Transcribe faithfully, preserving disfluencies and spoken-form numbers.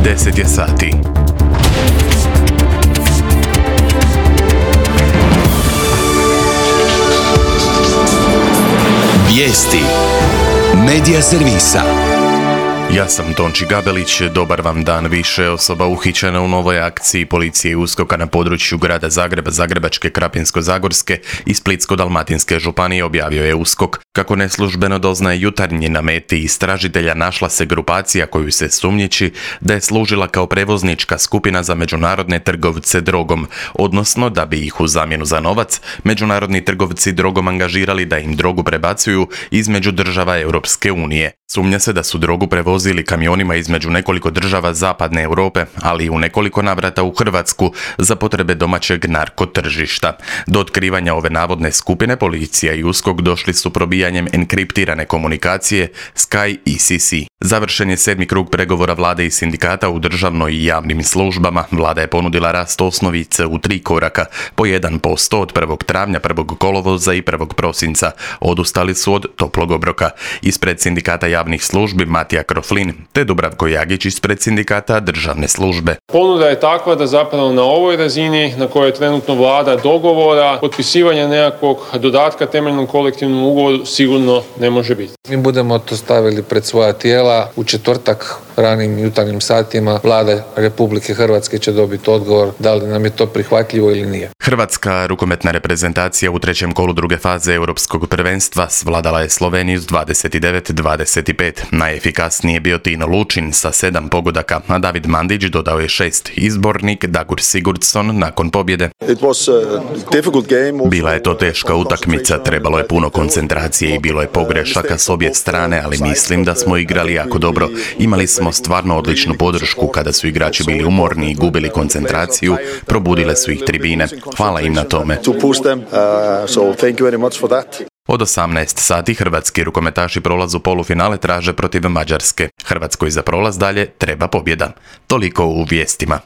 deset je sati. Vijesti Medija servisa. Ja sam Tonči Gabelić, dobar vam dan. Više osoba uhićena u novoj akciji policije i USKOK-a na području grada Zagreba, Zagrebačke, Krapinsko-zagorske i Splitsko-dalmatinske županije, objavio je USKOK. Kako neslužbeno doznaje Jutarnji, na meti istražitelja našla se grupacija koju se sumnjiči da je služila kao prevoznička skupina za međunarodne trgovce drogom, odnosno da bi ih u zamjenu za novac međunarodni trgovci drogom angažirali da im drogu prebacuju između država Europske unije. Sumnja se da su drogu prevozili kamionima između nekoliko država zapadne Europe, ali i u nekoliko navrata u Hrvatsku za potrebe domaćeg narkotržišta. Do otkrivanja ove navodne skupine policija i USKOK došli su probijanjem enkriptirane komunikacije Sky I C C. Završen je sedmi krug pregovora vlade i sindikata u državnoj i javnim službama. Vlada je ponudila rast osnovice u tri koraka, po jedan posto od prvog travnja, prvog kolovoza i prvog prosinca. Odustali su od toplog obroka. Ispred sindikata javnih službi Matija Kroflin te Dubravko Jagić ispred sindikata državne službe. Ponuda je takva da zapravo na ovoj razini na kojoj je trenutno vlada dogovora, potpisivanja nekakvog dodatka temeljnom kolektivnom ugovoru sigurno ne može biti. Mi budemo to stavili pred svoja tijela. U četvrtak ranim jutarnjim satima Vlada Republike Hrvatske će dobiti odgovor da li nam je to prihvatljivo ili nije. Hrvatska rukometna reprezentacija u trećem kolu druge faze Europskog prvenstva svladala je Sloveniju s dvadeset devet dvadeset pet. Najefikasniji je bio Tino Lučin sa sedam pogodaka, a David Mandić dodao je šest. Izbornik Dagur Sigurdsson nakon pobjede. Bila je to teška utakmica, trebalo je puno koncentracije i bilo je pogrešaka s obje strane, ali mislim da smo igrali jako dobro. Imali smo stvarno odličnu podršku kada su igrači bili umorni i gubili koncentraciju, probudile su ih tribine. Hvala im na tome. Od osamnaest sati hrvatski rukometaši prolaz u polufinale traže protiv Mađarske. Hrvatskoj za prolaz dalje treba pobjeda. Toliko u vijestima.